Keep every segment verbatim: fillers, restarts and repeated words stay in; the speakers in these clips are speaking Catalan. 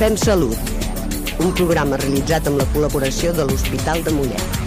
Fem Salut, un programa realitzat amb la col·laboració de l'Hospital de Mollet.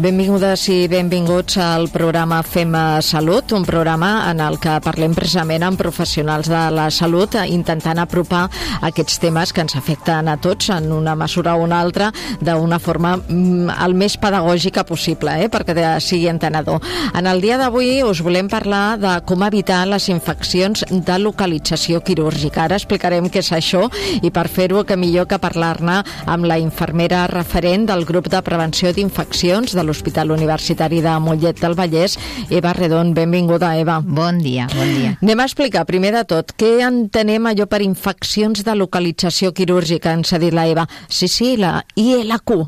Benvingudes i benvinguts al programa Fem Salut, un programa en el que parlem precisament amb professionals de la salut, intentant apropar aquests temes que ens afecten a tots en una mesura o una altra d'una forma el més pedagògica possible, eh, perquè sigui entenedor. En el dia d'avui us volem parlar de com evitar les infeccions de localització quirúrgica. Ara explicarem què és això i per fer-ho que millor que parlar-ne amb la infermera referent del grup de prevenció d'infeccions de l'Hospital Universitari de Mollet del Vallès, Eva Redon. Benvinguda, Eva. Bon dia, bon dia. Anem a explicar, primer de tot, què entenem allò per infeccions de localització quirúrgica, ens ha dit la Eva. Sí, sí, la I L Q.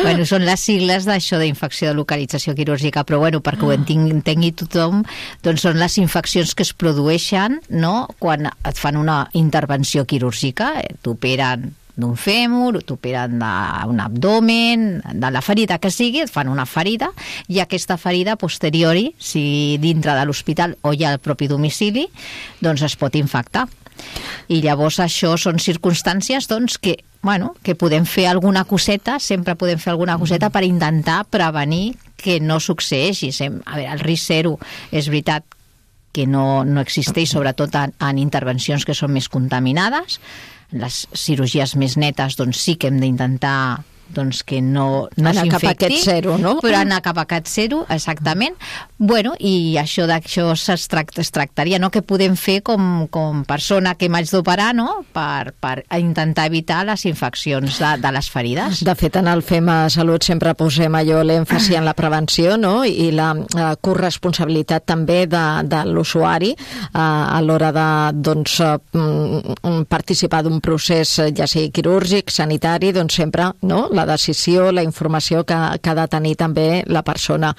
Bueno, són les sigles d'això d'infecció de localització quirúrgica, però bueno, perquè ho entengui tothom, doncs són les infeccions que es produeixen, no?, quan et fan una intervenció quirúrgica, eh, t'operen d'un fèmur, t'operen d'un abdomen, de la ferida que sigui, et fan una ferida, i aquesta ferida posteriori, si dintre de l'hospital o ja al propi domicili, doncs es pot infectar. I llavors això són circumstàncies doncs, que, bueno, que podem fer alguna coseta, sempre podem fer alguna coseta per intentar prevenir que no succeeixi. A veure, el risc zero és veritat que no, no existeix, sobretot en, en intervencions que són més contaminades. Les cirurgies més netes, doncs sí que hem d'intentar doncs que no, no anar cap a aquest zero, no? Però anar cap a aquest zero, exactament. Bueno, i això d'això es, tracta, es tractaria, no?, que podem fer com, com persona que m'haig d'operar, no?, per, per intentar evitar les infeccions de, de les ferides. De fet, en el Fem Salut sempre posem allò l'èmfasi en la prevenció, no?, i la uh, corresponsabilitat també de, de l'usuari uh, a l'hora de, doncs, uh, participar d'un procés, ja sigui quirúrgic, sanitari, doncs sempre, no?, la decisió, la informació que, que ha de tenir també la persona.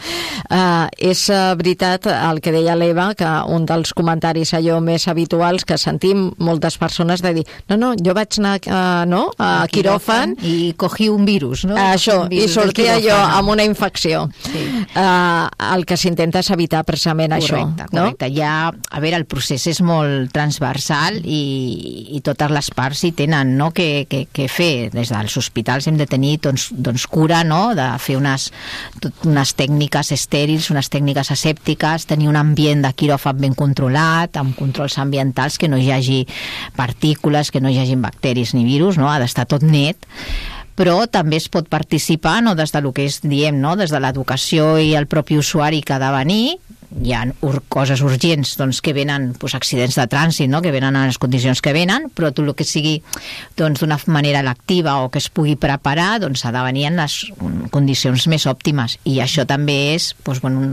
Uh, és uh, veritat el que deia l'Eva, que un dels comentaris allò més habituals que sentim moltes persones de dir, no, no, jo vaig anar uh, no, a quiròfan i cogí un virus, no? Això, un virus i sortia jo amb una infecció. Sí. Uh, el que s'intenta és evitar precisament correcte, això. Correcte, correcte. Ja, a veure, el procés és molt transversal i, i totes les parts hi tenen, no?, que, que, que fer. Des dels hospitals hem de tenir Doncs, doncs cura, no?, de fer unes, unes tècniques estèrils, unes tècniques asèptiques, tenir un ambient de quiròfan ben controlat, amb controls ambientals, que no hi hagi partícules, que no hi hagi bacteris ni virus, no?, ha d'estar tot net. Però també es pot participar, no?, des del que és, diem, no?, des de l'educació i el propi usuari que ha de venir. Hi ha ur coses urgents doncs, que venen, doncs, accidents de trànsit, no?, que venen en les condicions que venen, però tot el que sigui doncs, d'una manera lectiva o que es pugui preparar, doncs ha de venir en les condicions més òptimes. I això també és doncs, bueno,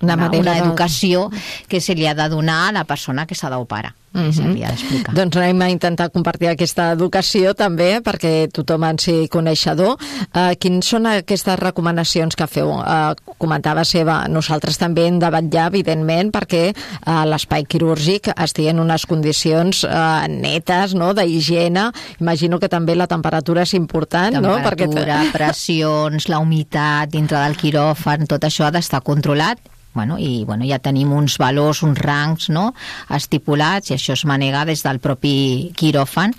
una, una, una educació que se li ha de donar a la persona que s'ha d'operar. Mm-hmm. Doncs anem a intentar compartir aquesta educació també perquè tothom en sigui coneixedor. Uh, quins són aquestes recomanacions que feu? Uh, comentava Eva, nosaltres també hem de vetllar, evidentment, perquè uh, l'espai quirúrgic estigui en unes condicions uh, netes, no?, d'higiene. Imagino que també la temperatura és important, no? Temperatura, perquè... pressions, la humitat dintre del quiròfan, tot això ha d'estar controlat. Bueno, i bueno, ja tenim uns valors, uns rangs, no?, estipulats, i això es manega des del propi quiròfan,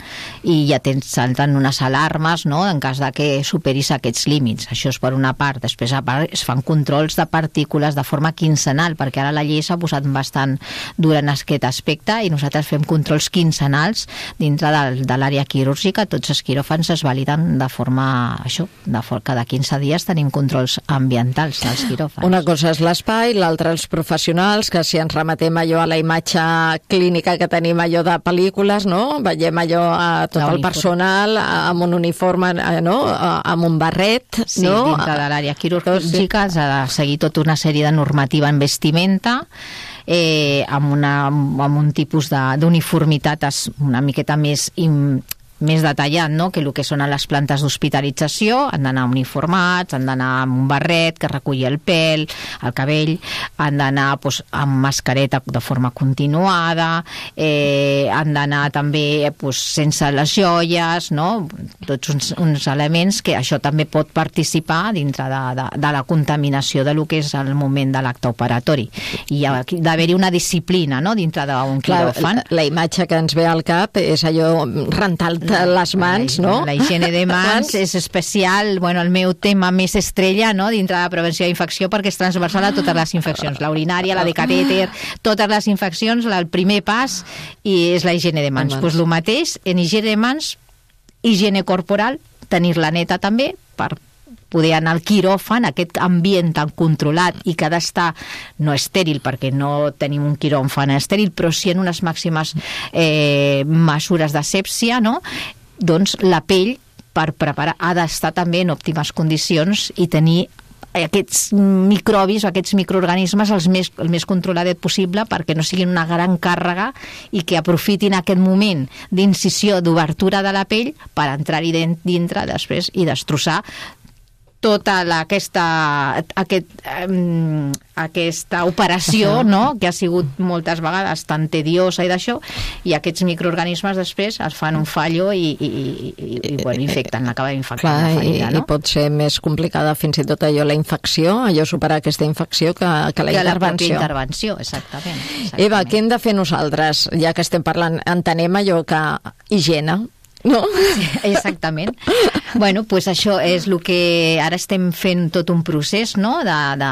i ja tens, salten unes alarmes, no?, en cas de que superis aquests límits. Això és per una part. Després, a part, es fan controls de partícules de forma quinzenal, perquè ara la llei s'ha posat bastant dura en aquest aspecte, i nosaltres fem controls quinzenals dintre de, de l'àrea quirúrgica. Tots els quiròfans es validen de forma, això, de for cada quinze dies tenim controls ambientals dels quiròfans. Una cosa és l'espai, l'altra els professionals, que si ens remetem allò a la imatge clínica que tenim allò de pel·lícules, no?, veiem allò a tot el personal amb un uniforme, no?, amb un barret, sí, no?, dintre de l'àrea quirúrgica s'ha de seguir tota una sèrie de normativa en vestimenta, eh, amb, una, amb un tipus d'uniformitat una miqueta més im, més detallat, no?, que el que són les plantes d'hospitalització, han d'anar uniformats, han d'anar amb un barret que reculli el pèl, el cabell, han d'anar doncs, amb mascareta de forma continuada, eh, han d'anar també doncs, sense les joies, no?, tots uns, uns elements que això també pot participar dintre de, de, de la contaminació de lo que és el moment de l'acte operatori. I hi ha d'haver-hi una disciplina, no?, dintre d'un quiròfan. La, la imatge que ens ve al cap és allò rentar les mans, la, no? La higiene de mans és especial, bueno, el meu tema més estrella, no?, dintre de la prevenció d'infecció, perquè és transversal a totes les infeccions, la urinària, la de catèter, totes les infeccions, el primer pas i és la higiene de mans. Doncs pues el mateix, en higiene de mans, higiene corporal, tenir-la neta també, per poder anar al quiròfan, aquest ambient tan controlat i que ha d'estar no estèril, perquè no tenim un quiròfan estèril, però sí en unes màximes eh, mesures d'asèpsia, no?, doncs la pell per preparar ha d'estar també en òptimes condicions i tenir aquests microbis o aquests microorganismes els més, el més controladet possible perquè no siguin una gran càrrega i que aprofitin aquest moment d'incisió, d'obertura de la pell per entrar-hi dintre després i destrossar tota la, aquesta, aquest, um, aquesta operació, no?, que ha sigut moltes vegades tan tediosa i d'això, i aquests microorganismes després es fan un fallo i, i, i, i, i bueno, infecten, acaben infectant la ferida, no? I pot ser més complicada fins i tot allò, la infecció, allò superar aquesta infecció que, que la que intervenció. Que la intervenció, exactament, exactament. Eva, què hem de fer nosaltres? Ja que estem parlant, entenem allò que higiene, no? Sí, exactament. Bueno, pues això és el que ara estem fent tot un procés, no?, de, de,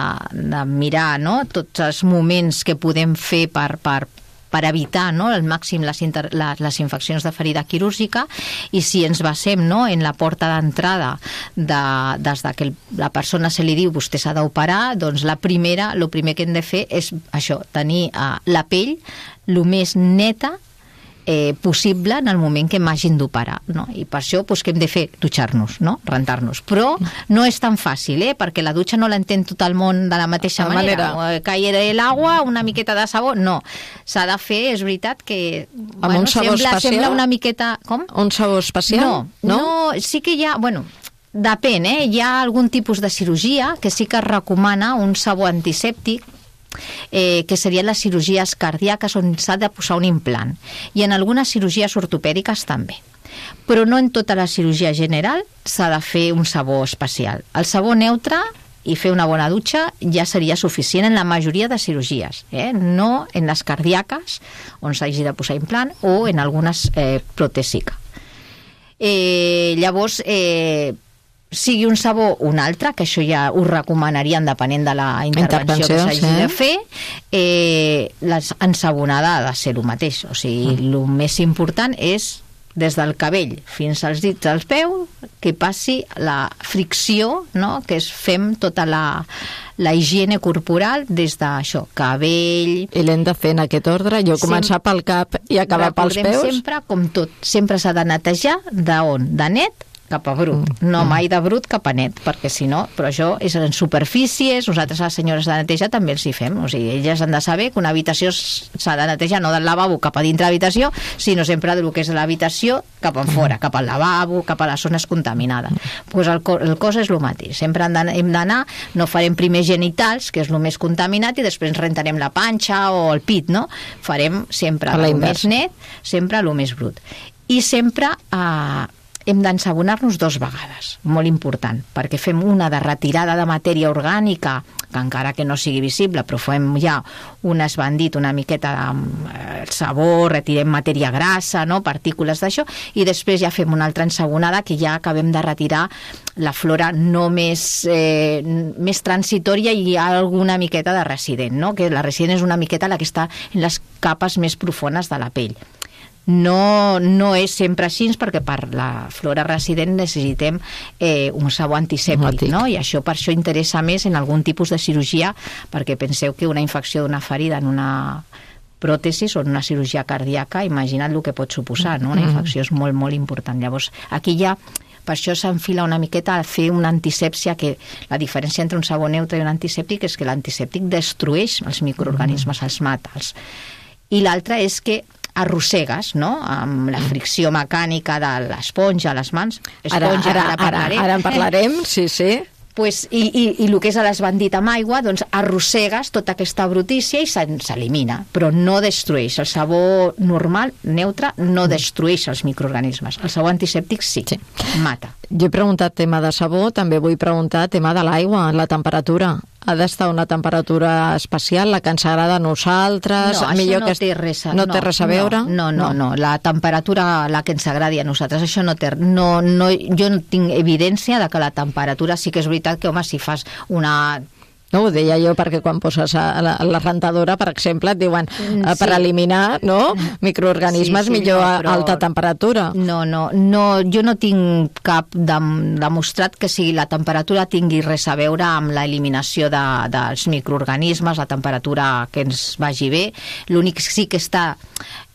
de mirar, no?, tots els moments que podem fer per, per, per evitar, no?, al màxim les, inter, les, les infeccions de ferida quirúrgica, i si ens basem, no?, en la porta d'entrada de, des de que la persona se li diu vostè s'ha d'operar, doncs la primera, el primer que hem de fer és això, tenir uh, la pell el més neta Eh, possible en el moment que m'hagin d'operar, no? I per això pues, que hem de fer? Dutxar-nos, no?, rentar-nos. Però no és tan fàcil, eh? Perquè la dutxa no l'entén tot el món de la mateixa la manera. manera. Caire l'aigua, una miqueta de sabó, no. S'ha de fer, és veritat que... Amb bueno, un sabó sembla, especial? Sembla una miqueta... Com? Un sabó especial? No, no, no, sí que hi ha... Bueno, depèn, eh? Hi ha algun tipus de cirurgia que sí que es recomana un sabó antisèptic, Eh, que serien les cirurgies cardíaques on s'ha de posar un implant, i en algunes cirurgies ortopèdiques també, però no en tota la cirurgia general s'ha de fer un sabó especial. El sabó neutre i fer una bona dutxa ja seria suficient en la majoria de cirurgies, eh? No en les cardíaques on s'hagi de posar implant o en algunes eh, protèsica. Eh, llavors eh, sigui un sabó o un altre, que això ja ho recomanaríem depenent de la intervenció, intervenció que s'hagi sí. de fer, eh, l'ensabonada ha de ser el mateix. O sigui, mm. el més important és des del cabell fins als dits dels peus, que passi la fricció, no?, que es fem tota la, la higiene corporal des d'això, cabell... I l'hem de fer en aquest ordre, jo començar Sem... pel cap i acabar pels peus? Recordem sempre, com tot, sempre s'ha de netejar d'on? De net cap a brut, no mai de brut cap a net, perquè si no, però això és en superfícies, nosaltres les senyores de neteja també els hi fem, o sigui, elles han de saber que una habitació s'ha de netejar no del lavabo cap a dintre l'habitació, sinó sempre del que és l'habitació cap en fora, cap al lavabo, cap a les zones contaminades. Pues el, el cos és el mateix, sempre hem d'anar, no farem primer genitals, que és el més contaminat, i després ens rentarem la panxa o el pit, no? Farem sempre el més net, sempre el més brut. I sempre... Eh, hem d'ensabonar-nos dos vegades, molt important, perquè fem una de retirada de matèria orgànica, que encara que no sigui visible, però fem ja un esbandit, una miqueta de sabó, retirem matèria grassa, no? Partícules d'això, i després ja fem una altra ensabonada que ja acabem de retirar la flora no més, eh, més transitòria i hi ha alguna miqueta de resident, no? Que la resident és una miqueta la que està en les capes més profundes de la pell. No, no és sempre així, perquè per la flora resident necessitem eh, un sabó antisèptic, no? I això per això interessa més en algun tipus de cirurgia, perquè penseu que una infecció d'una ferida en una pròtesis o en una cirurgia cardíaca, imagina't el que pot suposar, no? Una infecció és molt, molt important. Llavors, aquí ja per això s'enfila una miqueta a fer una antisèpsia, que la diferència entre un sabó neutre i un antisèptic és que l'antisèptic destrueix els microorganismes, els mata. I l'altre és que arrossegues, no?, amb la fricció mecànica de l'esponja a les mans. Esponja, ara, ara, ara, ara, ara en parlarem, sí, sí. Pues, i, i, i el que és l'esbandit amb aigua, doncs arrossegues tota aquesta brutícia i s'elimina, però no destrueix. El sabó normal, neutre, no destrueix els microorganismes. El sabó antisèptic sí, sí. mata. Jo he preguntat tema de sabó, també vull preguntar tema de l'aigua, la temperatura. Ha d'estar una temperatura especial, la que ens agrada a nosaltres? No, millor això no que té res a, no té res a veure? No, no, no, no, la temperatura, la que ens agradi a nosaltres, això no té... No, no, jo no tinc evidència de que la temperatura, sí que és veritat que, home, si fas una... No, ho deia jo perquè quan poses a la, a la rentadora, per exemple, et diuen sí. per eliminar no, microorganismes sí, sí, millor no, a alta temperatura. No, no, no, jo no tinc cap de, demostrat que si la temperatura tingui res a veure amb l'eliminació de, dels microorganismes, la temperatura que ens vagi bé. L'únic sí que està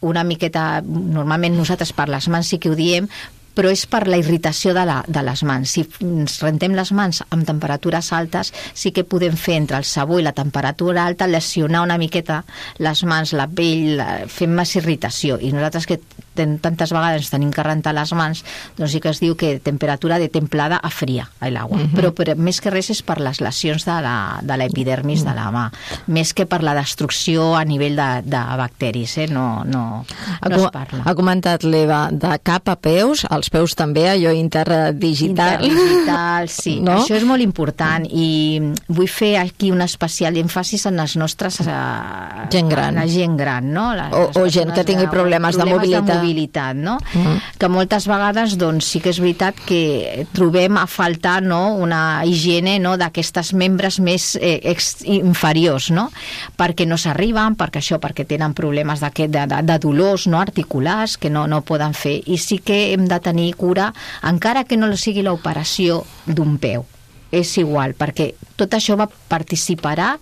una miqueta, normalment nosaltres per les mans sí que ho diem, però és per la irritació de, la, de les mans. Si ens rentem les mans amb temperatures altes, sí que podem fer entre el sabó i la temperatura alta lesionar una miqueta les mans, la pell, fem més irritació. I nosaltres que ten, tantes vegades tenim que rentar les mans, doncs sí que es diu que temperatura de templada a fria, a l'aigua. Uh-huh. Però, però més que res és per les lesions de la, de l'epidermis uh-huh. de la mà, més que per la destrucció a nivell de, de bacteris, eh? no, no, no es parla. Ha comentat l'Eva de cap a peus, els peus també, allò interdigital. Interdigital, sí. No? Això és molt important i vull fer aquí un especial èmfasis en les nostres... Uh, gent gran. La gent gran, no? Les, o, o gent que tingui problemes, problemes de mobilitat. de mobilitat, no? Uh-huh. Que moltes vegades, doncs, sí que és veritat que trobem a faltar, no?, una higiene, no?, d'aquestes membres més eh, ex, inferiors, no? Perquè no s'arriben, perquè això, perquè tenen problemes de, de, de dolors, no?, articulars, que no, no poden fer. I sí que hem de tenir cura, encara que no sigui l'operació d'un peu. És igual, perquè tot això va participarà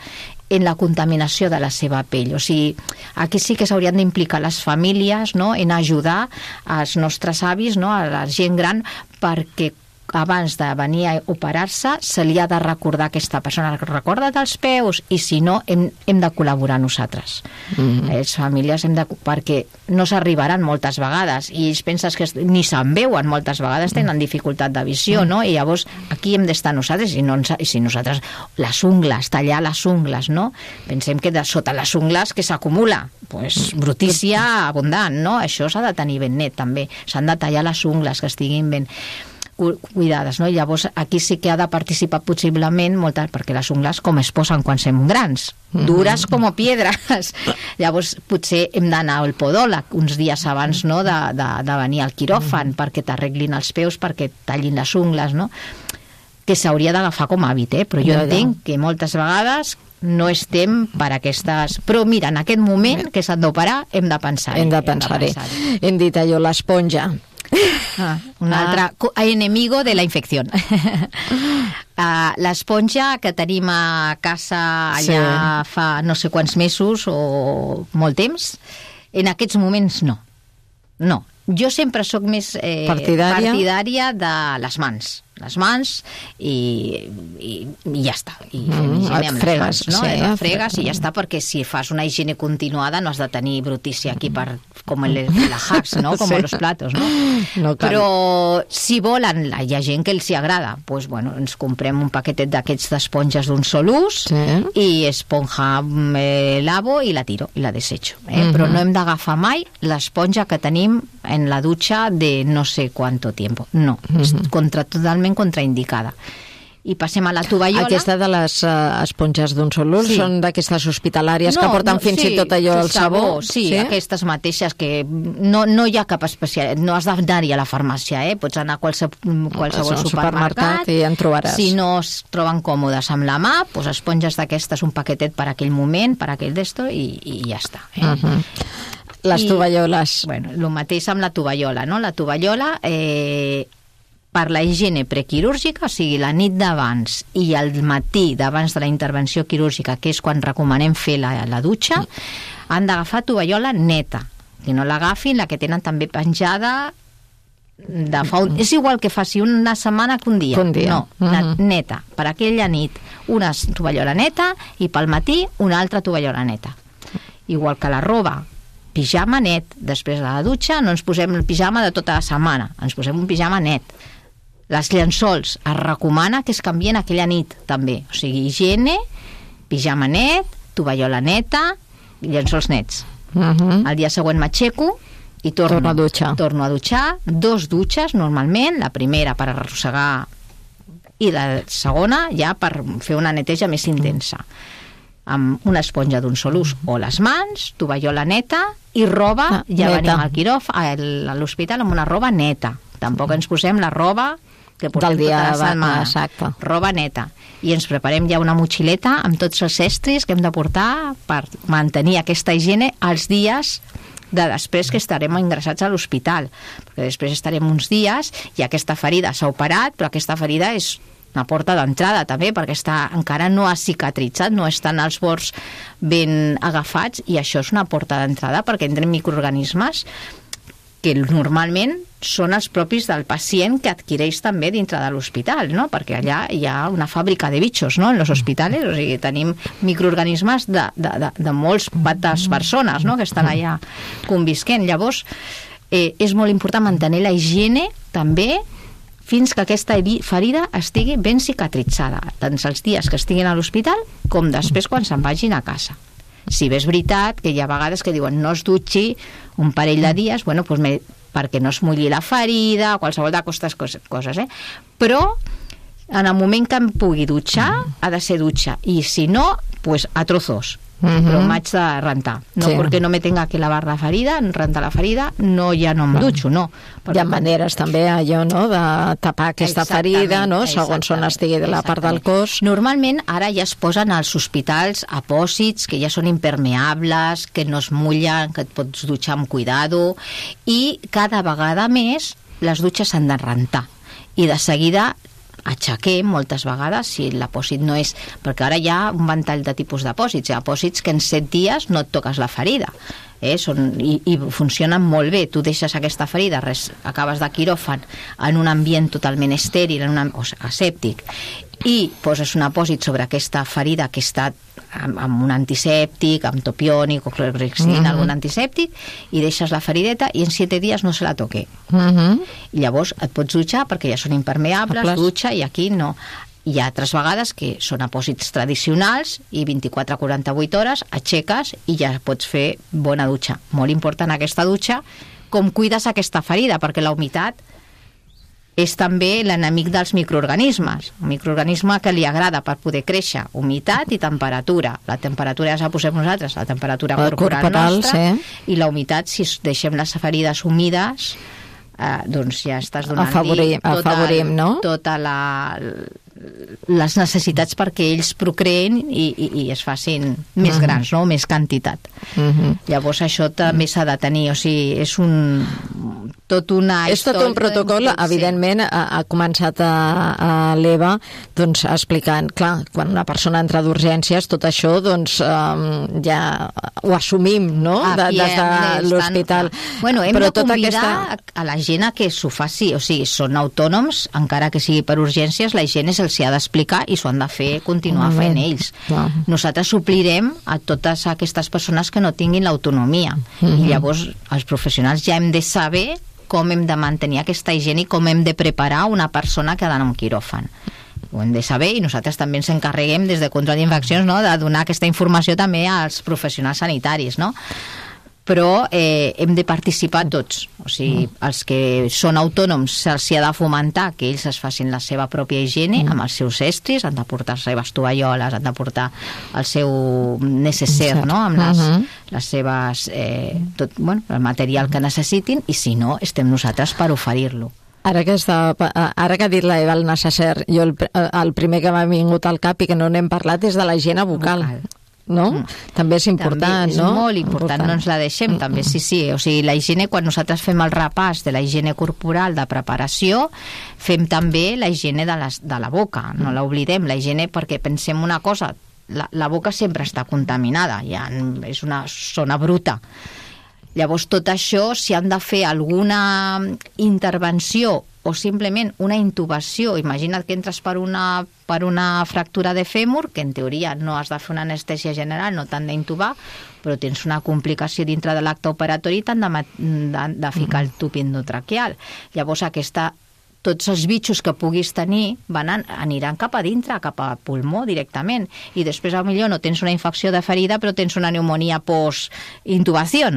en la contaminació de la seva pell. O sigui, aquí sí que s'haurien d'implicar les famílies, no?, en ajudar als nostres avis, no?, a la gent gran, perquè abans de venir a operar-se se li ha de recordar a aquesta persona, recorda dels peus, i si no hem, hem de col·laborar nosaltres. Mm-hmm. Les famílies hem de... perquè no s'arribaran moltes vegades i ells pensen que ni se'n veuen moltes vegades, tenen dificultat de visió, mm. no? I llavors aquí hem d'estar nosaltres i, no ens, i si nosaltres les ungles, tallar les ungles, no? Pensem que de sota les ungles que s'acumula, pues, brutícia abundant, no? Això s'ha de tenir ben net també, s'han de tallar les ungles que estiguin ben cuidades, no? I llavors aquí sí que ha de participar possiblement moltes, perquè les ungles com es posen quan som grans, dures com piedres. Llavors potser hem d'anar al podòleg uns dies abans, no?, de, de, de venir al quiròfan perquè t'arreglin els peus, perquè tallin les ungles, no?, que s'hauria d'agafar com a hàbit, eh? Però jo ja, entenc ja. que moltes vegades no estem per aquestes... Però mira, en aquest moment que s'han d'operar hem de pensar-hi. Hem de pensar-hi. Hem, pensar hem dit allò, l'esponja. Ah, un ah. altre enemigo de la infecció. uh, l'esponja que tenim a casa allà sí. fa no sé quants mesos o molt temps, en aquests moments no. No. Jo sempre sóc més eh, partidària? partidària de les mans. Les mans i, i, i ja està. I fem mm, higiene amb fregues, les mans, no? Sí, Et fregues i ja està, perquè si fas una higiene continuada no has de tenir brutícia aquí per, com el, la Hacks, no? Com sí. los platos, no? no Però si volen, hi ha gent que els hi agrada, pues, bueno, ens comprem un paquetet d'aquests d'esponges d'un sol ús sí. i esponja eh, lavo i la tiro, i la desecho. Eh? Mm-hmm. Però no hem d'agafar mai l'esponja que tenim en la dutxa de no sé quanto tiempo. No, mm-hmm. és contra, totalment contraindicada. I passem a la tovallola. Aquesta de les uh, esponges d'un sol ús sí. són d'aquestes hospitalàries no, que porten no, fins sí, i tot allò el sabó? Sí, sí, aquestes mateixes que no, no hi ha cap especial, no has d'anar-hi a la farmàcia, eh? Pots anar a qualsevol, qualsevol supermercat, supermercat i en trobaràs. Si no es troben còmodes amb la mà, doncs esponges d'aquestes, un paquetet per aquell moment, per aquell d'esto, i, i ja està. Eh? Uh-huh. Les I, tovalloles. Bueno, el mateix amb la tovallola, no? La tovallola... Eh, per la higiene prequirúrgica, o sigui, la nit d'abans i el matí d'abans de la intervenció quirúrgica, que és quan recomanem fer la, la dutxa, han d'agafar tovallola neta. Que no l'agafin, la que tenen també penjada de fa un... És igual que faci una setmana que un dia. Un dia. No, uh-huh. neta. Per aquella nit una tovallola neta i pel matí una altra tovallola neta. Igual que la roba pijama net. Després de la dutxa no ens posem el pijama de tota la setmana, ens posem un pijama net. Les llençols es recomana que es canvien aquella nit també, o sigui, higiene, pijama net, tovallola neta, llençols nets. Uh-huh. El dia següent m'aixeco i torno, torno a dutxar. Torno a dutxar, dos dutxes normalment, la primera per arrossegar i la segona ja per fer una neteja més intensa. Amb una esponja d'un sol ús o les mans, tovallola neta i roba, ah, ja neta. Venim al quiròfan, a l'hospital amb una roba neta. Tampoc ens posem la roba que portem del dia tota la setmana. Exacte. Roba neta. I ens preparem ja una motxileta amb tots els estris que hem de portar per mantenir aquesta higiene els dies de després que estarem ingressats a l'hospital, perquè després estarem uns dies i aquesta ferida s'ha operat, però aquesta ferida és una porta d'entrada també, perquè està, encara no ha cicatritzat, no estan els bords ben agafats, i això és una porta d'entrada perquè entren microorganismes que normalment són els propis del pacient que adquireix també dintre de l'hospital, no? Perquè allà hi ha una fàbrica de bitxos, no?, en els hospitals, o sigui, tenim microorganismes de, de, de, de molts pates persones, no?, que estan allà convisquent. Llavors, eh, és molt important mantenir la higiene també fins que aquesta ferida estigui ben cicatritzada, tant els dies que estiguin a l'hospital com després quan se'n vagin a casa. Si bé és veritat que hi ha vegades que diuen no es dutxi un parell de dies, bueno, doncs me, perquè no es mulli la ferida, qualsevol d'aquestes coses, eh? Però en el moment que em pugui dutxar, ha de ser dutxa, i si no, pues a trozos. Uh-huh. Però m'haig de rentar, no sí. Perquè no me tenga que lavar la ferida, rentar la ferida, no, ja no em dutxo, no. Hi ha maneres també allò, no?, de tapar aquesta ferida, no?, segons on estigui de la part del cos. Normalment ara ja es posen als hospitals apòsits que ja són impermeables, que no es mullen, que et pots dutxar amb cuidado, i cada vegada més les dutxes s'han de rentar, i de seguida aixequem moltes vegades si l'apòsit no és, perquè ara hi ha un ventall de tipus d'apòsits, hi ha apòsits que en set dies no et toques la ferida, eh? Són, i, i funcionen molt bé. Tu deixes aquesta ferida, res, acabes de quiròfan en un ambient totalment estèril, en un, o asèptic, i poses un apòsit sobre aquesta ferida que està amb, amb un antisèptic, amb topiònic o clorhexidina, uh-huh. algun antisèptic, i deixes la ferideta i en siete dies no se la toque. Uh-huh. I llavors et pots dutxar perquè ja són impermeables, dutxa, i aquí no. Hi ha altres vegades que són apòsits tradicionals i vint-i-quatre a quaranta-vuit hores aixeques i ja pots fer bona dutxa. Molt important aquesta dutxa, com cuides aquesta ferida, perquè la humitat és també l'enemic dels microorganismes. Un microorganisme que li agrada per poder créixer, humitat i temperatura. La temperatura ja la posem nosaltres, la temperatura la corporal, corporal nostra, sí. I la humitat, si deixem les ferides humides, eh, doncs ja estàs donant afavorim, tota, afavorim, no? tota la... les necessitats perquè ells procreen i, i, i es facin més uh-huh. grans, no? Més quantitat. Uh-huh. Llavors això també s'ha de tenir, o sigui, és un tot una és tot un protocol, tot, evidentment, ha, ha començat a, a l'Eva doncs, explicant, clar, quan una persona entra d'urgències, tot això doncs um, ja ho assumim, no? Ah, de, des de l'hospital. Bueno, hem Però de convidar aquesta... a la gent a que s'ho faci, o sigui, són autònoms, encara que sigui per urgències, la gent se'ls ha d'explicar i s'ho han de fer, continuar fent ells. Wow. Nosaltres suplirem a totes aquestes persones que no tinguin l'autonomia. Mm-hmm. I llavors els professionals ja hem de saber com hem de mantenir aquesta higiene i com hem de preparar una persona que ha d'anar a un quiròfan. Ho hem de saber i nosaltres també ens encarreguem des de control d'infeccions, no?, de donar aquesta informació també als professionals sanitaris, no? Però eh, hem de participar tots, o sigui, mm. els que són autònoms se'ls ha de fomentar que ells es facin la seva pròpia higiene mm. amb els seus estris, han de portar les seves tovalloles, han de portar el seu necessaire, no?, amb les, mm-hmm. les seves eh, tot, bueno, el material que necessitin, i si no, estem nosaltres per oferir-lo. Ara que, està, ara que ha dit l'Eva el necessaire, jo el, el primer que m'ha vingut al cap i que no n'hem parlat és de la higiene bucal. Vocal. No? Mm. També és important, també és no? És molt important, important, no ens la deixem, mm. també, sí, sí, o sigui, la higiene, quan nosaltres fem el repàs de la higiene corporal de preparació, fem també la higiene de, les, de la boca, no l'oblidem, la higiene, perquè pensem una cosa, la, la boca sempre està contaminada, ja és una zona bruta. Llavors, tot això, si han de fer alguna intervenció o simplement una intubació. Imagina't que entres per una, per una fractura de fèmur, que en teoria no has de fer una anestèsia general, no t'han d'intubar, però tens una complicació dintre de l'acte operatori i t'han de, de, de ficar el tub endotraqueal. Llavors aquesta tots els bitxos que puguis tenir van an aniran cap a dintre, cap a pulmó directament, i després potser no tens una infecció de ferida però tens una pneumonia post-intubació.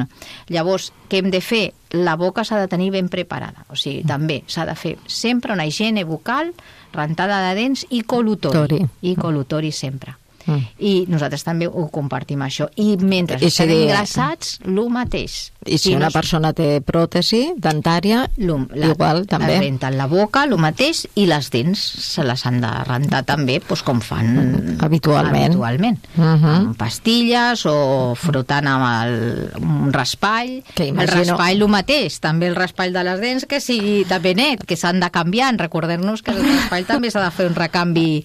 Llavors, què hem de fer? La boca s'ha de tenir ben preparada, o sigui, també s'ha de fer sempre una higiene bucal, rentada de dents i col·lutori, i col·lutori sempre. Mm. I nosaltres també ho compartim, això. I mentre I estem si engrassats, el mateix. I si I una no... persona té pròtesi dentària, la, igual també. Renten la boca, el mateix, i les dents se les han de rentar també, doncs, com fan mm. habitualment, habitualment. Uh -huh. amb pastilles o frotant amb el, un raspall. Que imagino... El raspall, el mateix, també el raspall de les dents, que sigui també net, que s'han de canviar. Recordem-nos que el raspall també s'ha de fer un recanvi.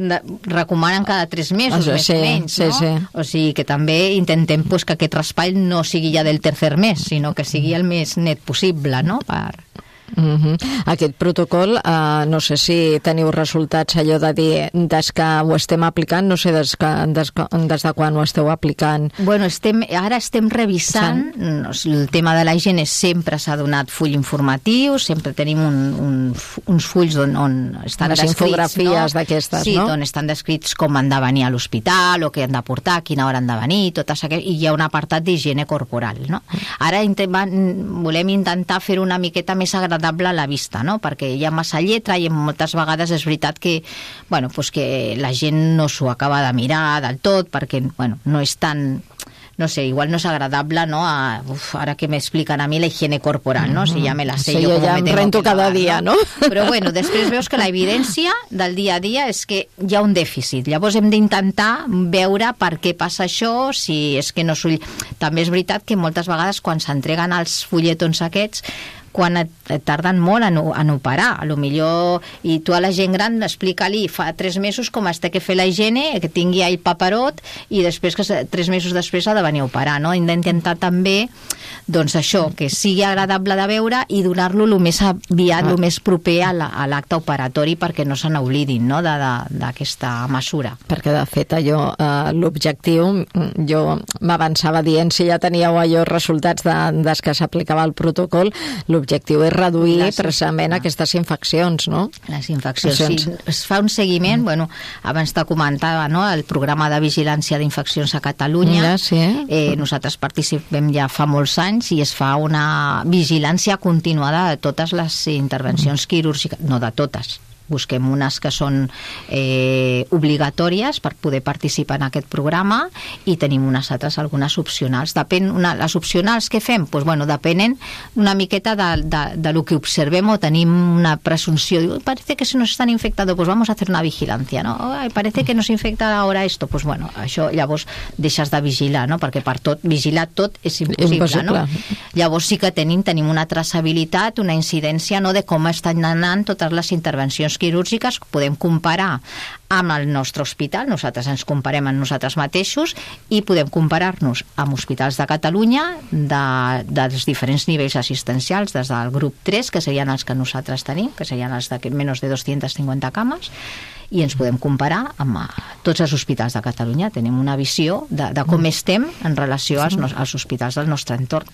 De, recomanen cada tres mesos, Això, més sí, o menys, sí, no? Sí. O sigui que també intentem pues, que aquest raspall no sigui ja del tercer mes, sinó que sigui el més net possible, no? Per... Uh-huh. Aquest protocol, uh, no sé si teniu resultats allò de dir des que ho estem aplicant, no sé des, que, des, des de quan ho esteu aplicant. Bueno, estem, ara estem revisant sí. El tema de la higiene. Sempre s'ha donat full informatiu, sempre tenim un, un, uns fulls on, on estan les descrits, infografies no? d'aquestes, sí, no? on estan descrits com han de venir a l'hospital, o què han de portar, a quina hora han de venir, totes aquelles, i hi ha un apartat d'higiene corporal, no? Ara intent, volem intentar fer una miqueta més agradable a la vista, no? Perquè hi ha massa lletra i moltes vegades és veritat que, bueno, pues que la gent no s'ho acaba de mirar del tot, perquè bueno, no és tan... no sé, igual no és agradable, no? A, uf, ara que m'expliquen a mi la higiene corporal, no? Si ja me la sé sí, jo, jo ja em rento cada lavar, dia, no? Però bueno, després veus que la evidència del dia a dia és que hi ha un dèficit. Llavors hem d'intentar veure per què passa això, si és que no s'ho... També és veritat que moltes vegades quan s'entreguen els fulletons aquests quan et, et tarden molt en, en operar, a lo millor, i tu a la gent gran explica-li fa tres mesos com es té que fer la higiene, que tingui el paperot, i després que tres mesos després ha de venir a operar, no? Hem d'intentar també, doncs això, que sigui agradable de veure i donar-lo el més aviat, el més proper a l'acte operatori perquè no se n'oblidin, no?, d'aquesta mesura. Perquè de fet allò, eh, l'objectiu, jo m'avançava dient si ja teníeu allò resultats de, des que s'aplicava el protocol, l'objectiu és reduir les, precisament ah. aquestes infeccions, no? Les infeccions, sí. Es fa un seguiment, mm. bueno, abans te comentava, no?, el programa de vigilància d'infeccions a Catalunya. Ja, sí. eh, nosaltres participem ja fa molts anys i es fa una vigilància continuada de totes les intervencions mm. quirúrgiques, no de totes, busquem unes que són eh, obligatòries per poder participar en aquest programa i tenim unes altres, algunes opcionals. Depèn, una, les opcionals que fem, pues, bueno, depenen una miqueta de, de, de lo que observem o tenim una presunció. Diu, parece que se nos están infectando, pues vamos a hacer una vigilancia, ¿no? Ay, parece que nos infecta ahora esto, pues bueno, això llavors deixes de vigilar, no? Perquè per tot, vigilar tot és impossible, impossible. No? Llavors sí que tenim, tenim una traçabilitat, una incidència, no?, de com estan anant totes les intervencions quirúrgiques, podem comparar amb el nostre hospital, nosaltres ens comparem amb nosaltres mateixos i podem comparar-nos amb hospitals de Catalunya de, dels diferents nivells assistencials, des del grup tres, que serien els que nosaltres tenim, que serien els de menys de dues-centes cinquanta cames, i ens podem comparar amb tots els hospitals de Catalunya. Tenim una visió de, de com estem en relació als, als hospitals del nostre entorn.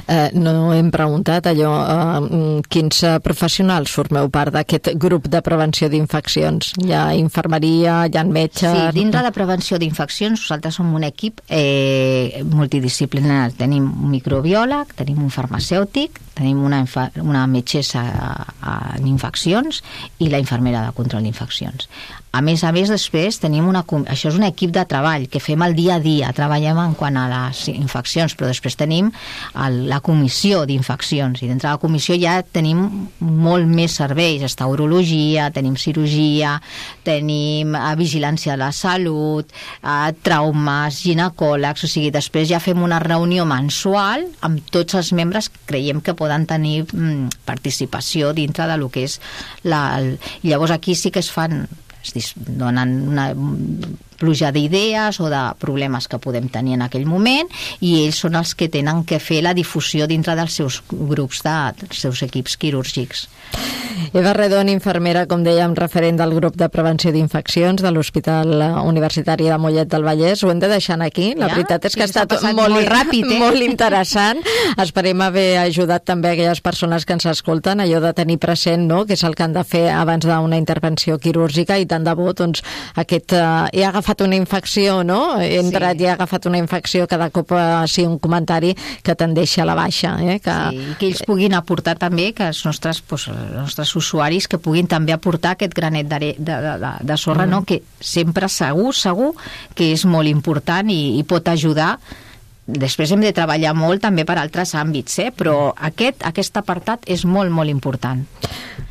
Eh, no hem preguntat allò, eh, quins professionals formeu part d'aquest grup de prevenció d'infeccions? Hi ha infermeria, hi ha metges... Sí, dintre de prevenció d'infeccions nosaltres som un equip eh, multidisciplinar. Tenim un microbiòleg, tenim un farmacèutic, tenim una, una metgessa en infeccions i la infermera de control d'infeccions. A més a més, després tenim una... Això és un equip de treball que fem el dia a dia, treballem en quant a les infeccions, però després tenim el, la comissió d'infeccions, i dintre de la comissió ja tenim molt més serveis. Està urologia, tenim cirurgia, tenim eh, vigilància de la salut, eh, traumes, ginecòlegs, o sigui, després ja fem una reunió mensual amb tots els membres que creiem que poden tenir mm, participació dintre de lo que és la... El... Llavors aquí sí que es fan... es donen una pluja d'idees o de problemes que podem tenir en aquell moment, i ells són els que tenen que fer la difusió dintre dels seus grups, de, dels seus equips quirúrgics. Eva Redon, infermera, com dèiem, referent del grup de prevenció d'infeccions de l'Hospital Universitari de Mollet del Vallès. Ho hem de deixar aquí. La ja? veritat és que ha estat molt, molt ràpid, eh? molt interessant. Esperem haver ajudat també aquelles persones que ens escolten, allò de tenir present, no?, que és el que han de fer abans d'una intervenció quirúrgica, i tant de bo, doncs, aquest, uh, he agafat una infecció, no?, he entrat sí. i he agafat una infecció, cada cop uh, sí, un comentari que te'n deixa a la baixa. Eh? Que... Sí, que ells puguin aportar també, que els nostres, doncs, els nostres usuaris que puguin també aportar aquest granet de, de, de, de sorra, mm. no? Que sempre segur, segur que és molt important i, i pot ajudar. Després hem de treballar molt també per altres àmbits, eh? Però aquest, aquest apartat és molt, molt important.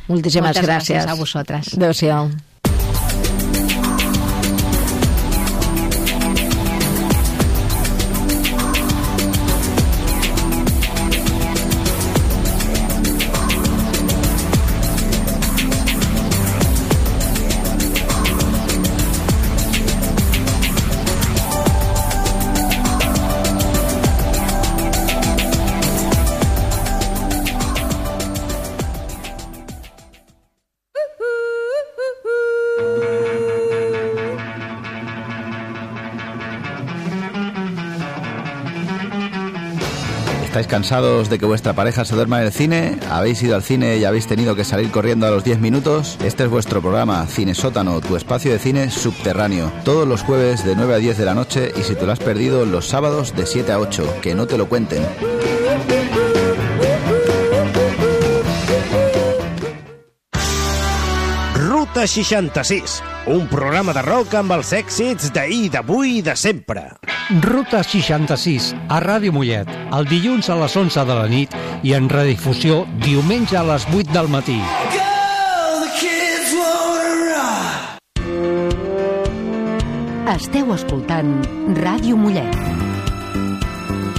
Moltíssimes Moltes gràcies. gràcies a vosaltres. Adéu-siau. ¿Estáis cansados de que vuestra pareja se duerma en el cine? ¿Habéis ido al cine y habéis tenido que salir corriendo a los diez minutos? Este es vuestro programa, Cine Sótano, tu espacio de cine subterráneo. Todos los jueves de nueve a diez de la noche, y si te lo has perdido, los sábados de siete a ocho. Que no te lo cuenten. Ruta seixanta-sis, un programa de rock amb els èxits d'ahir, d'avui i de sempre. Ruta seixanta-sis, a Ràdio Mollet, el dilluns a les onze de la nit i en redifusió diumenge a les vuit del matí. Esteu escoltant Ràdio Mollet.